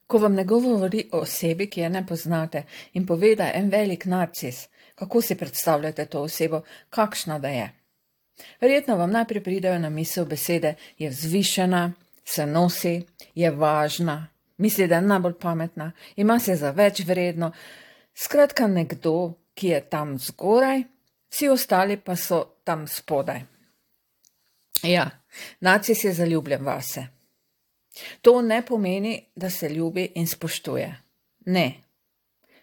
Ko vam nekdo govori o osebi, ki je ne poznate in pove, da je en velik narcis, kako si predstavljate to osebo, kakšna da je? Verjetno vam najprej pridejo na misel besede, je vzvišena, se nosi, je važna, misli, da je najbolj pametna, ima se za več vredno. Skratka, nekdo, ki je tam zgoraj, vsi ostali pa so tam spodaj. Ja, narcis je zaljubljen vase. To ne pomeni, da se ljubi in spoštuje. Ne,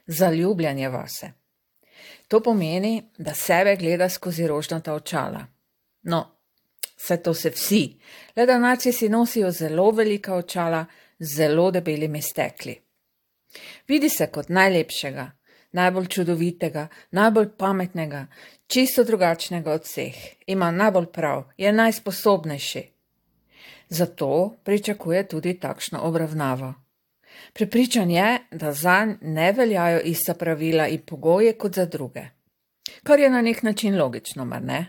zaljubljen je vase. To pomeni, da sebe gleda skozi rožnata očala. No, vse to se vsi, le da narcisi nosijo zelo velika očala z zelo debelimi stekli. Vidi se kot najlepšega, najbolj čudovitega, najbolj pametnega, čisto drugačnega od vseh. Ima najbolj prav, je najsposobnejši. Zato pričakuje tudi takšno obravnavo. Prepričan je, da zanj ne veljajo ista pravila in pogoje kot za druge. Kar je na nek način logično, mar ne?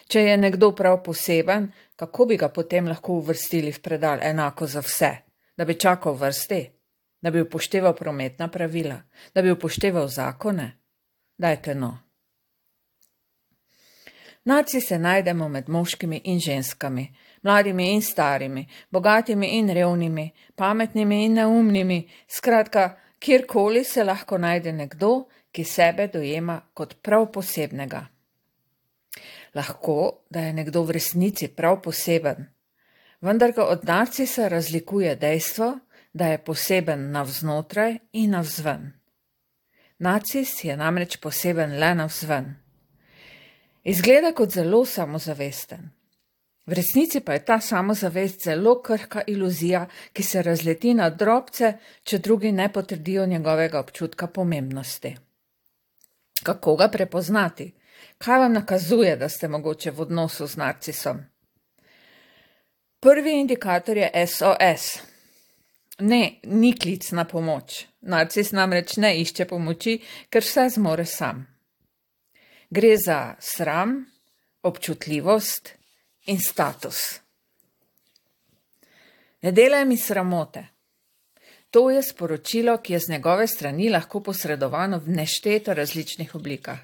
Če je nekdo prav poseben, kako bi ga potem lahko uvrstili v predal enako za vse? Da bi čakal vrsti? Da bi upošteval prometna pravila? Da bi upošteval zakone? Dajte no. Narcise najdemo med moškimi in ženskami, mladimi in starimi, bogatimi in revnimi, pametnimi in neumnimi, skratka, kjerkoli se lahko najde nekdo, ki sebe dojema kot prav posebnega. Lahko, da je nekdo v resnici prav poseben, vendar ga od narcisa razlikuje dejstvo, da je poseben navznotraj in navzven. Narcis je namreč poseben le navzven. Izgleda kot zelo samozavesten. V resnici pa je ta samozavest zelo krhka iluzija, ki se razleti na drobce, če drugi ne potrdijo njegovega občutka pomembnosti. Kako ga prepoznati? Kaj vam nakazuje, da ste mogoče v odnosu z narcisom? Prvi indikator je SOS. Ne, ni klic na pomoč. Narcis namreč ne išče pomoči, ker vse zmore sam. Gre za sram, občutljivost in status. Ne delaj mi sramote. To je sporočilo, ki je z njegove strani lahko posredovano v nešteto različnih oblikah.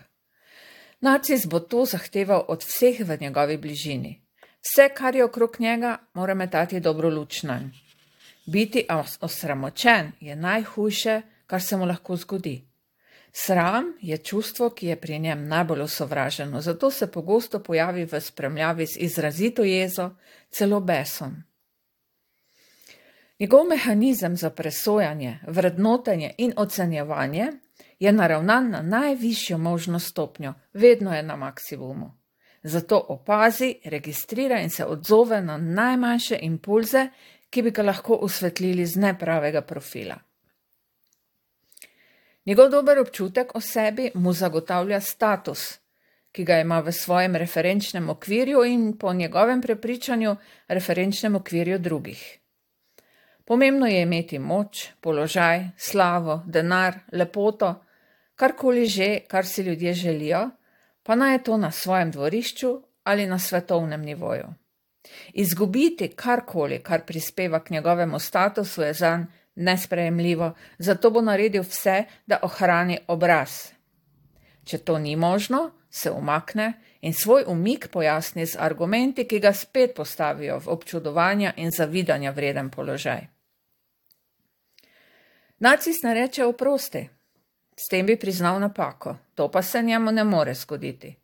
Narcis bo to zahteval od vseh v njegovi bližini. Vse, kar je okrog njega, mora metati dobro luč nanj. Biti osramočen je najhujše, kar se mu lahko zgodi. Sram je čustvo, ki je pri njem najbolj osovraženo, zato se pogosto pojavi v spremljavi z izrazito jezo, celo besom. Njegov mehanizem za presojanje, vrednotenje in ocenjevanje je naravnan na najvišjo možno stopnjo, vedno je na maksimumu. Zato opazi, registrira in se odzove na najmanjše impulze, ki bi ga lahko osvetlili z nepravega profila. Njegov dober občutek o sebi mu zagotavlja status, ki ga ima v svojem referenčnem okvirju in po njegovem prepričanju referenčnem okvirju drugih. Pomembno je imeti moč, položaj, slavo, denar, lepoto, karkoli že, kar si ljudje želijo, pa naj je to na svojem dvorišču ali na svetovnem nivoju. Izgubiti karkoli, kar prispeva k njegovemu statusu, je zanj nesprejemljivo, zato bo naredil vse, da ohrani obraz. Če to ni možno, se umakne in svoj umik pojasni z argumenti, ki ga spet postavijo v občudovanja in zavidanja vreden položaj. Narcis ne reče oprosti, s tem bi priznal napako, to pa se njemu ne more zgoditi.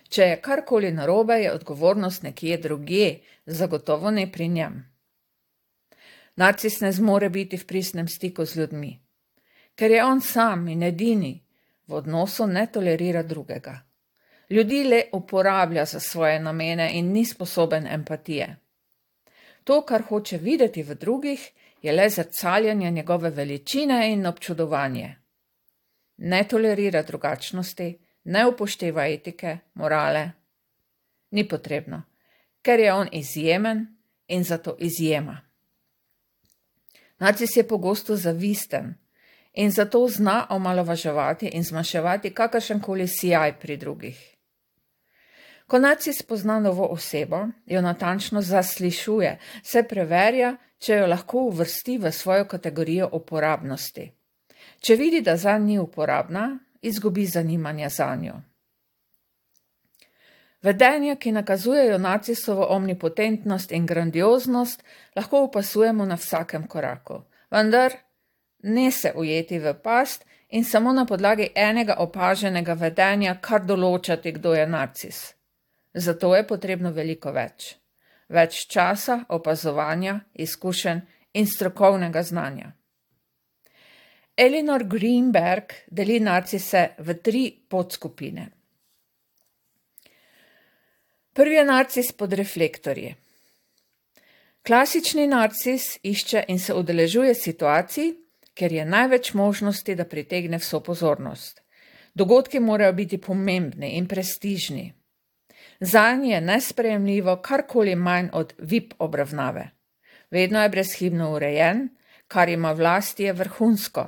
Če je karkoli narobe, je odgovornost nekje drugje, zagotovo ne pri njem. Narcis ne zmore biti v pristnem stiku z ljudmi, ker je on sam in edini, v odnosu ne tolerira drugega. Ljudi le uporablja za svoje namene in ni sposoben empatije. To, kar hoče videti v drugih, je le zrcaljenje njegove veličine in občudovanje. Ne tolerira drugačnosti, ne upošteva etike, morale. Ni potrebno, ker je on izjemen in zato izjema. Narcis je pogosto zavisten in zato zna omalovaževati in zmanjševati kakršenkoli sijaj pri drugih. Ko narcis spozna novo osebo, jo natančno zaslišuje, se preverja, če jo lahko uvrsti v svojo kategorijo uporabnosti. Če vidi, da zanj ni uporabna, izgubi zanimanje zanjo. Vedenja, ki nakazujejo narcisovo omnipotentnost in grandioznost, lahko opazujemo na vsakem koraku, vendar ne se ujeti v past in samo na podlagi enega opaženega vedenja kar določati, kdo je narcis. Zato je potrebno veliko več. Več časa, opazovanja, izkušenj in strokovnega znanja. Eleanor Greenberg deli narcise v 3 podskupine. Prvi je narcis pod reflektorji. Klasični narcis išče in se udeležuje situacij, ker je največ možnosti, da pritegne vso pozornost. Dogodki morajo biti pomembni in prestižni. Zanj je nesprejemljivo karkoli manj od VIP obravnave. Vedno je brezhibno urejen, kar ima v lasti je vrhunsko.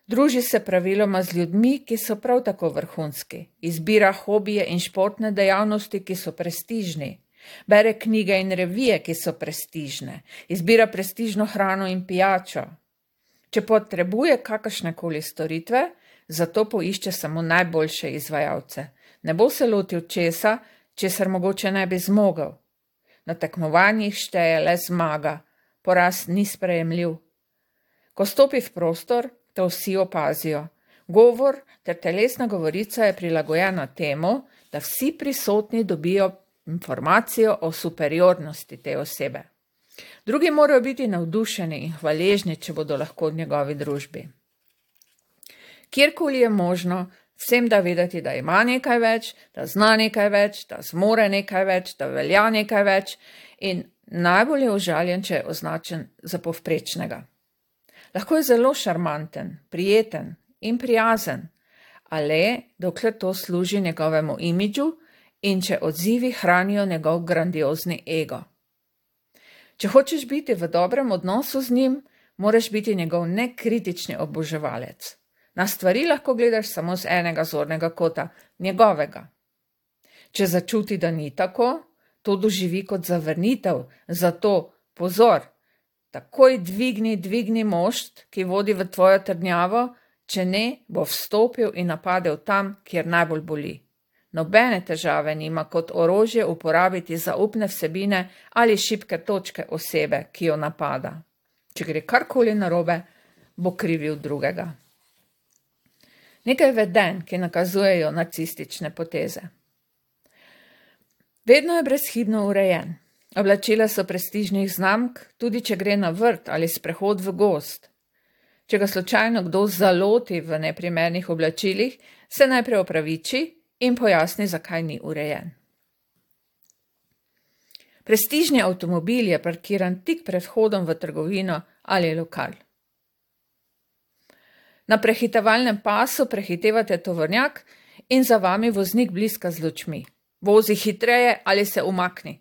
Druži se praviloma z ljudmi, ki so prav tako vrhunski. Izbira hobije in športne dejavnosti, ki so prestižni. Bere knjige in revije, ki so prestižne. Izbira prestižno hrano in pijačo. Če potrebuje kakršnekoli storitve, zato poišče samo najboljše izvajalce. Ne bo se lotil česa, česar mogoče ne bi zmogel. Na tekmovanjih šteje le zmaga, poraz ni sprejemljiv. Ko stopi v prostor, to vsi opazijo. Govor ter telesna govorica je prilagojena temu, da vsi prisotni dobijo informacijo o superiornosti te osebe. Drugi morajo biti navdušeni in hvaležni, če bodo lahko v njegovi družbi. Kjerkoli je možno, vsem da vedeti, da ima nekaj več, da zna nekaj več, da zmore nekaj več, da velja nekaj več in najbolj je užaljen, če je označen za povprečnega. Lahko je zelo šarmanten, prijeten in prijazen, ale dokler to služi njegovemu imidžu in če odzivi hranijo njegov grandiozni ego. Če hočeš biti v dobrem odnosu z njim, moraš biti njegov nekritični oboževalec. Na stvari lahko gledaš samo z enega zornega kota, njegovega. Če začuti, da ni tako, to doživi kot zavrnitev, zato pozor, takoj dvigni mošt, ki vodi v tvojo trdnjavo, če ne, bo vstopil in napadel tam, kjer najbolj boli. Nobene težave nima kot orožje uporabiti zaupne vsebine ali šibke točke osebe, ki jo napada. Če gre karkoli narobe, bo krivil drugega. Nekaj vedenj, ki nakazujejo narcistične poteze. Vedno je brezhibno urejen. Oblačila so prestižnih znamk, tudi če gre na vrt ali sprehod v gozd. Če ga slučajno kdo zaloti v neprimernih oblačilih, se najprej opraviči in pojasni, zakaj ni urejen. Prestižni avtomobil je parkiran tik pred vhodom v trgovino ali lokal. Na prehitevalnem pasu prehitevate tovornjak in za vami voznik bliska z lučmi. Vozi hitreje ali se umakni.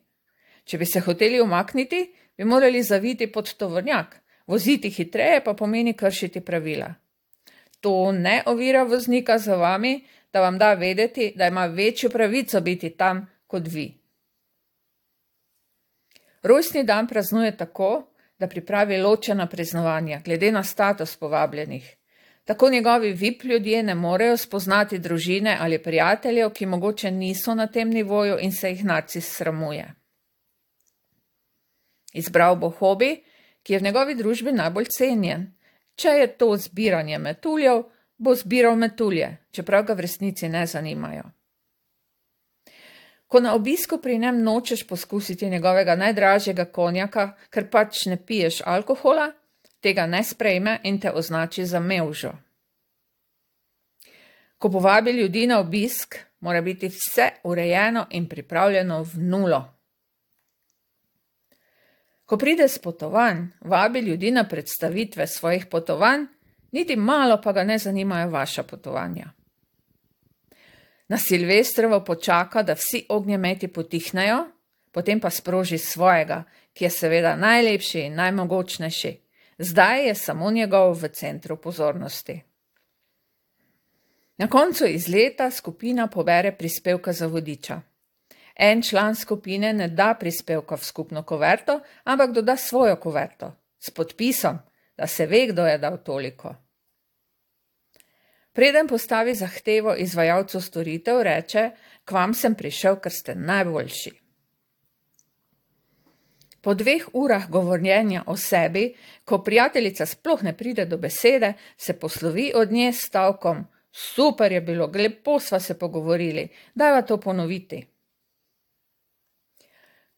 Če bi se hoteli umakniti, bi morali zaviti pod tovornjak. Voziti hitreje pa pomeni kršiti pravila. To ne ovira voznika za vami, da vam da vedeti, da ima večjo pravico biti tam kot vi. Rojstni dan praznuje tako, da pripravi ločena praznovanja, glede na status povabljenih. Tako njegovi VIP ljudje ne morejo spoznati družine ali prijateljev, ki mogoče niso na tem nivoju in se jih narcis sramuje. Izbral bo hobi, ki je v njegovi družbi najbolj cenjen. Če je to zbiranje metuljev, bo zbiral metulje, čeprav ga v resnici ne zanimajo. Ko na obisku pri njem nočeš poskusiti njegovega najdražjega konjaka, ker pač ne piješ alkohola, tega ne sprejme in te označi za mevžo. Ko povabi ljudi na obisk, mora biti vse urejeno in pripravljeno v nulo. Ko pride s potovanj, vabi ljudi na predstavitve svojih potovanj, niti malo pa ga ne zanimajo vaša potovanja. Na Silvestrovo počaka, da vsi ognjemeti potihnejo, potem pa sproži svojega, ki je seveda najlepši in najmogočnejši. Zdaj je samo njegov v centru pozornosti. Na koncu izleta skupina pobere prispevka za vodiča. En član skupine ne da prispevka v skupno kuverto, ampak doda svojo kuverto s podpisom, da se ve, kdo je dal toliko. Preden postavi zahtevo izvajalcu storitev, reče: "K vam sem prišel, ker ste najboljši." Po 2 urah govorjenja o sebi, ko prijateljica sploh ne pride do besede, se poslovi od nje s stavkom: "Super je bilo, lepo sva se pogovorili, dajva to ponoviti."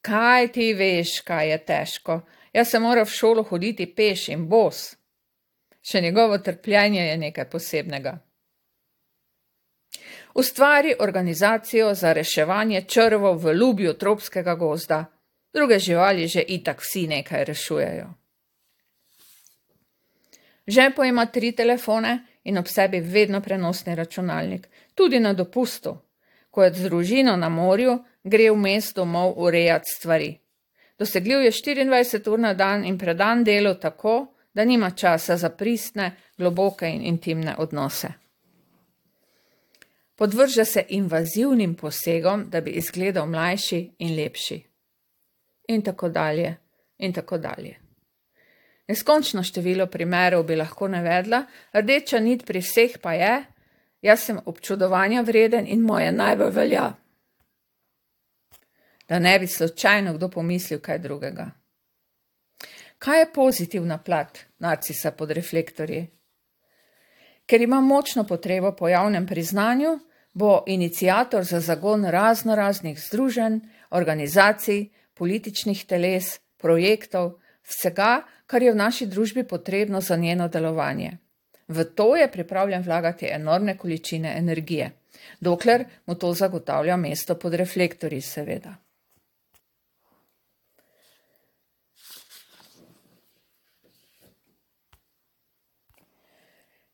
"Kaj ti veš, kaj je težko? Jaz sem moral v šolo hoditi peš in bos." Še njegovo trpljenje je nekaj posebnega. Ustvari organizacijo za reševanje črvov v ljubju tropskega gozda. Druge živali že itak vsi nekaj rešujejo. V žepu ima 3 telefone in ob sebi vedno prenosni računalnik, tudi na dopustu. Ko je z družino na morju, gre vmes domov urejati stvari. Dosegljiv je 24 ur na dan in predan delu tako, da nima časa za pristne, globoke in intimne odnose. Podvrže se invazivnim posegom, da bi izgledal mlajši in lepši. In tako dalje, in tako dalje. Neskončno število primerov bi lahko navedla, rdeča nit pri vseh pa je: "Jaz sem občudovanja vreden in moje najbolj velja." Da ne bi slučajno kdo pomislil kaj drugega. Kaj je pozitivna plat narcisa pod reflektorji? Ker ima močno potrebo po javnem priznanju, bo iniciator za zagon raznoraznih združenj, organizacij, političnih teles, projektov, vsega, kar je v naši družbi potrebno za njeno delovanje. V to je pripravljen vlagati enormne količine energije, dokler mu to zagotavlja mesto pod reflektorji, seveda.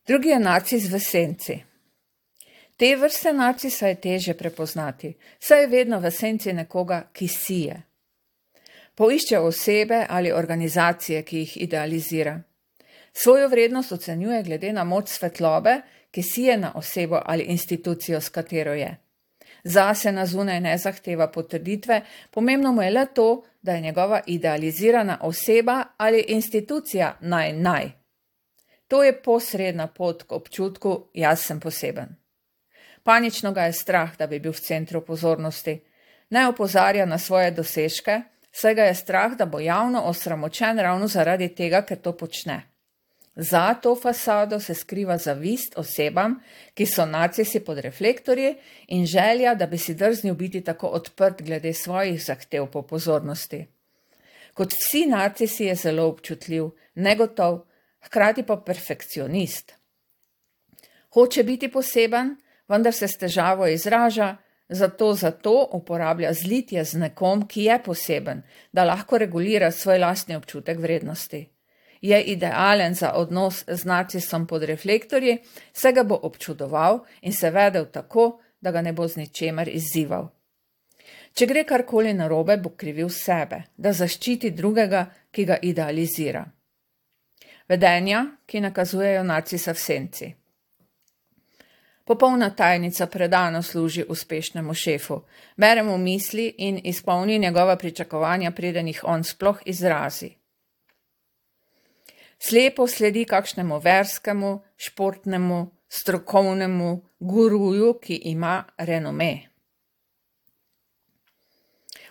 Drugi je narcis v senci. Te vrste narcisa je težje prepoznati, saj je vedno v senci nekoga, ki sije. Poišče osebe ali organizacije, ki jih idealizira. Svojo vrednost ocenjuje glede na moč svetlobe, ki sije na osebo ali institucijo, s katero je. Zase na zunaj ne zahteva potrditve, pomembno mu je le to, da je njegova idealizirana oseba ali institucija naj. To je posredna pot k občutku: jaz sem poseben. Panično ga je strah, da bi bil v centru pozornosti. Ne opozarja na svoje dosežke, saj ga je strah, da bo javno osramočen ravno zaradi tega, ker to počne. Za to fasado se skriva zavist osebam, ki so narcisi pod reflektorji, in želja, da bi si drznil biti tako odprt glede svojih zahtev po pozornosti. Kot vsi narcisi je zelo občutljiv, negotov, hkrati pa perfekcionist. Hoče biti poseben, vendar se s težavo izraža, zato uporablja zlitje z nekom, ki je poseben, da lahko regulira svoj lastni občutek vrednosti. Je idealen za odnos z narcisom pod reflektorji, saj ga bo občudoval in se vedel tako, da ga ne bo z ničemer izzival. Če gre karkoli narobe, bo krivil sebe, da zaščiti drugega, ki ga idealizira. Vedenja, ki nakazujejo narcisa v senci. Popolna tajnica predano služi uspešnemu šefu, bere mu misli in izpolni njegova pričakovanja, preden jih on sploh izrazi. Slepo sledi kakšnemu verskemu, športnemu, strokovnemu guruju, ki ima renome.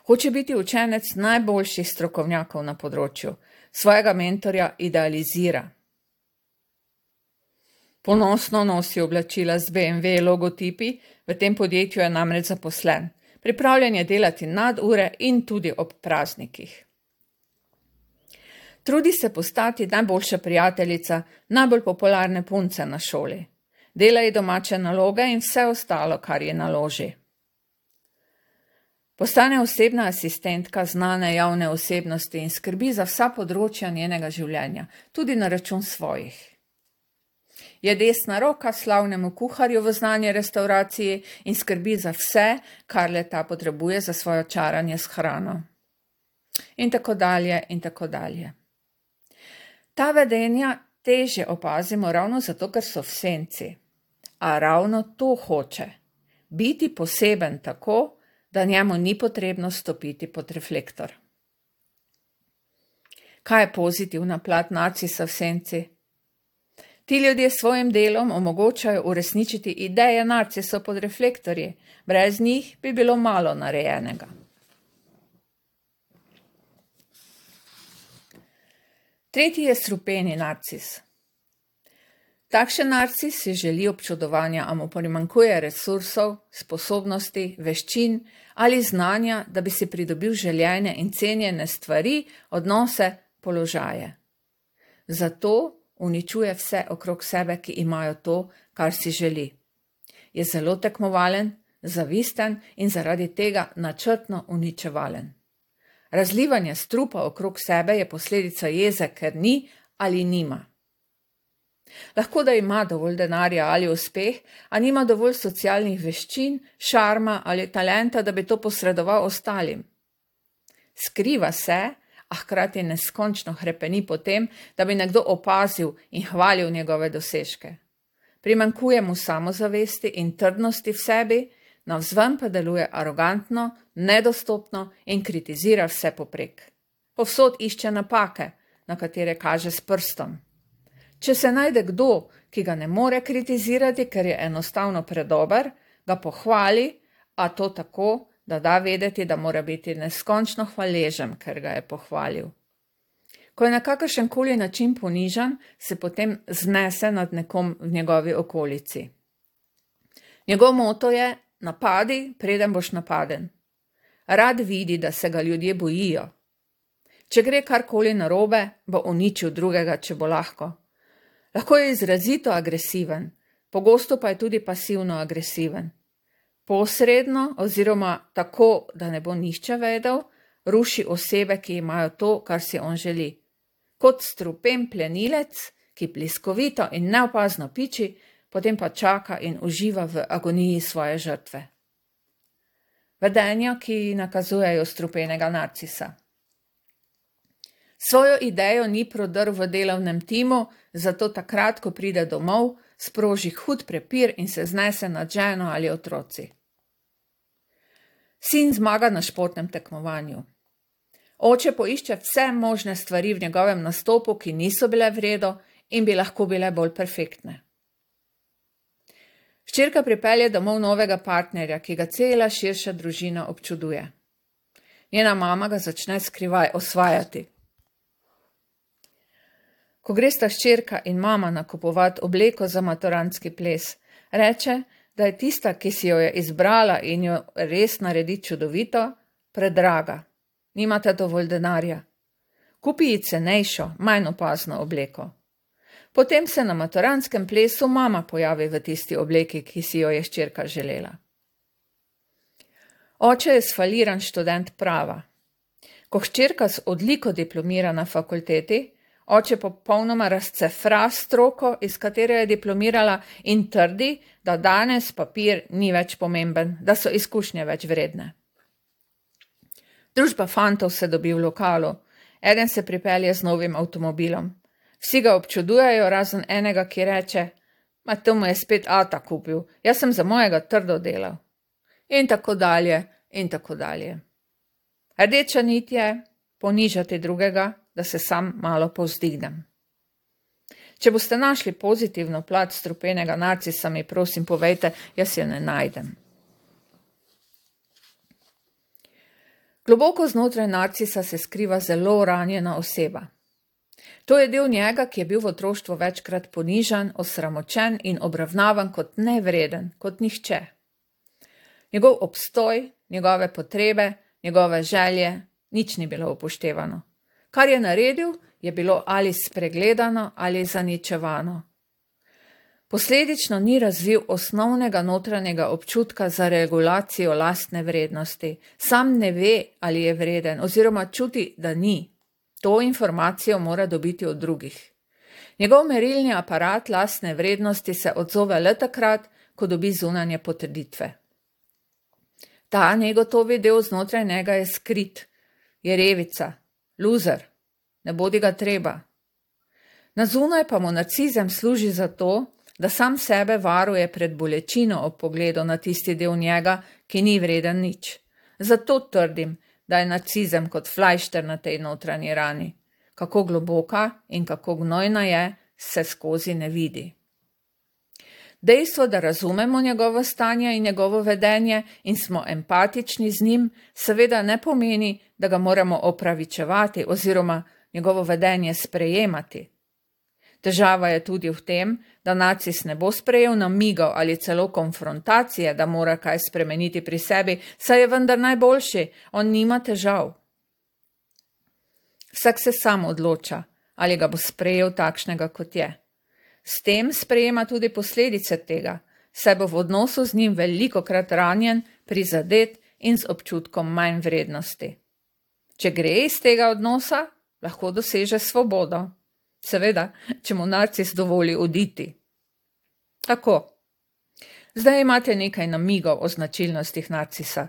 Hoče biti učenec najboljših strokovnjakov na področju, svojega mentorja idealizira. Ponosno nosi oblačila z BMW logotipi, v tem podjetju je namreč zaposlen. Pripravljen je delati nadure in tudi ob praznikih. Trudi se postati najboljša prijateljica, najbolj popularne punce na šoli. Dela ji domače naloge in vse ostalo, kar ji naloži. Postane osebna asistentka znane javne osebnosti in skrbi za vsa področja njenega življenja, tudi na račun svojih. Je desna roka slavnemu kuharju v znani restavraciji in skrbi za vse, kar le ta potrebuje za svojo čaranje s hrano. In tako dalje, in tako dalje. Ta vedenja težje opazimo ravno zato, ker so v senci. A ravno to hoče. Biti poseben tako, da njemu ni potrebno stopiti pod reflektor. Kaj je pozitivna plat narcisa v senci? Ti ljudje s svojim delom omogočajo uresničiti ideje narcisov pod reflektorji, brez njih bi bilo malo narejenega. Tretji je strupeni narcis. Takšen narcis si želi občudovanja, a mu primanjkuje resursov, sposobnosti, veščin ali znanja, da bi si pridobil željene in cenjene stvari, odnose, položaje. Zato uničuje vse okrog sebe, ki imajo to, kar si želi. Je zelo tekmovalen, zavisten in zaradi tega načrtno uničevalen. Razlivanje strupa okrog sebe je posledica jeze, ker ni ali nima. Lahko da ima dovolj denarja ali uspeh, a nima dovolj socialnih veščin, šarma ali talenta, da bi to posredoval ostalim. Skriva se, a hkrati neskončno hrepeni po tem, da bi nekdo opazil in hvalil njegove dosežke. Primanjkuje mu samozavesti in trdnosti v sebi, navzven pa deluje arogantno, nedostopno in kritizira vse poprek. Povsod išče napake, na katere kaže s prstom. Če se najde kdo, ki ga ne more kritizirati, ker je enostavno predober, ga pohvali, a to tako, da da vedeti, da mora biti neskončno hvaležen, ker ga je pohvalil. Ko je na kakršenkoli način ponižan, se potem znese nad nekom v njegovi okolici. Njegov moto je: napadi, preden boš napaden. Rad vidi, da se ga ljudje bojijo. Če gre karkoli narobe, bo uničil drugega, če bo lahko. Lahko je izrazito agresiven, pogosto pa je tudi pasivno agresiven. Posredno oziroma tako, da ne bo nihče vedel, ruši osebe, ki imajo to, kar si on želi. Kot strupen plenilec, ki bliskovito in neopazno piči, potem pa čaka in uživa v agoniji svoje žrtve. Vedenja, ki nakazujejo strupenega narcisa. Svojo idejo ni prodrl v delovnem timu, zato takrat, ko pride domov, sproži hud prepir in se znese nad ženo ali otroci. Sin zmaga na športnem tekmovanju. Oče poišče vse možne stvari v njegovem nastopu, ki niso bile v redu in bi lahko bile bolj perfektne. Hčerka pripelje domov novega partnerja, ki ga cela širša družina občuduje. Njena mama ga začne skrivaj osvajati. Ko gresta hčerka in mama nakupovat obleko za maturantski ples, reče, da je tista, ki si jo je izbrala in jo res naredi čudovito, predraga. Nimate dovolj denarja. Kupi ji cenejšo, manj opazno obleko. Potem se na maturantskem plesu mama pojavi v tisti obleki, ki si jo je hčerka želela. Oče je sfaliran študent prava. Ko hčerka z odliko diplomira na fakulteti, oče popolnoma razcefra stroko, iz katere je diplomirala, in trdi, da danes papir ni več pomemben, da so izkušnje več vredne. Družba fantov se dobi v lokalu. Eden se pripelje z novim avtomobilom. Vsi ga občudujejo, razen enega, ki reče: "Ma to mu je spet ata kupil, jaz sem za mojega trdo delal." In tako dalje, in tako dalje. Rdeča nit je ponižati drugega, da se sam malo povzdignem. Če boste našli pozitivno plat strupenega narcisa, mi prosim povejte, jaz jo ne najdem. Globoko znotraj narcisa se skriva zelo ranjena oseba. To je del njega, ki je bil v otroštvu večkrat ponižan, osramočen in obravnavan kot nevreden, kot nihče. Njegov obstoj, njegove potrebe, njegove želje, nič ni bilo upoštevano. Kar je naredil, je bilo ali spregledano ali zaničevano. Posledično ni razvil osnovnega notranjega občutka za regulacijo lastne vrednosti. Sam ne ve, ali je vreden, oziroma čuti, da ni. To informacijo mora dobiti od drugih. Njegov merilni aparat lastne vrednosti se odzove le takrat, ko dobi zunanje potrditve. Ta negotovi del znotraj njega je skrit, je revica, luzer, ne bodi ga treba. Na zunaj pa mu narcizem služi za to, da sam sebe varuje pred bolečino ob pogledu na tisti del njega, ki ni vreden nič. Zato trdim, da je nacizem kot flajšter na tej notranji rani. Kako globoka in kako gnojna je, se skozi ne vidi. Dejstvo, da razumemo njegovo stanje in njegovo vedenje in smo empatični z njim, seveda ne pomeni, da ga moramo opravičevati oziroma njegovo vedenje sprejemati. Težava je tudi v tem, da nacis ne bo sprejel namigov ali celo konfrontacije, da mora kaj spremeniti pri sebi, saj je vendar najboljši, on nima težav. Vsak se sam odloča, ali ga bo sprejel takšnega, kot je. S tem sprejema tudi posledice tega, saj bo v odnosu z njim velikokrat ranjen, prizadet in z občutkom manj vrednosti. Če gre iz tega odnosa, lahko doseže svobodo. Seveda, če mu narcis dovoli oditi. Tako. Zdaj imate nekaj namigov o značilnostih narcisa.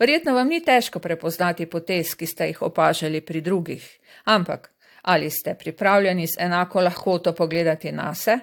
Verjetno vam ni težko prepoznati potez, ki ste jih opažali pri drugih, ampak ali ste pripravljeni z enako lahkoto pogledati nase?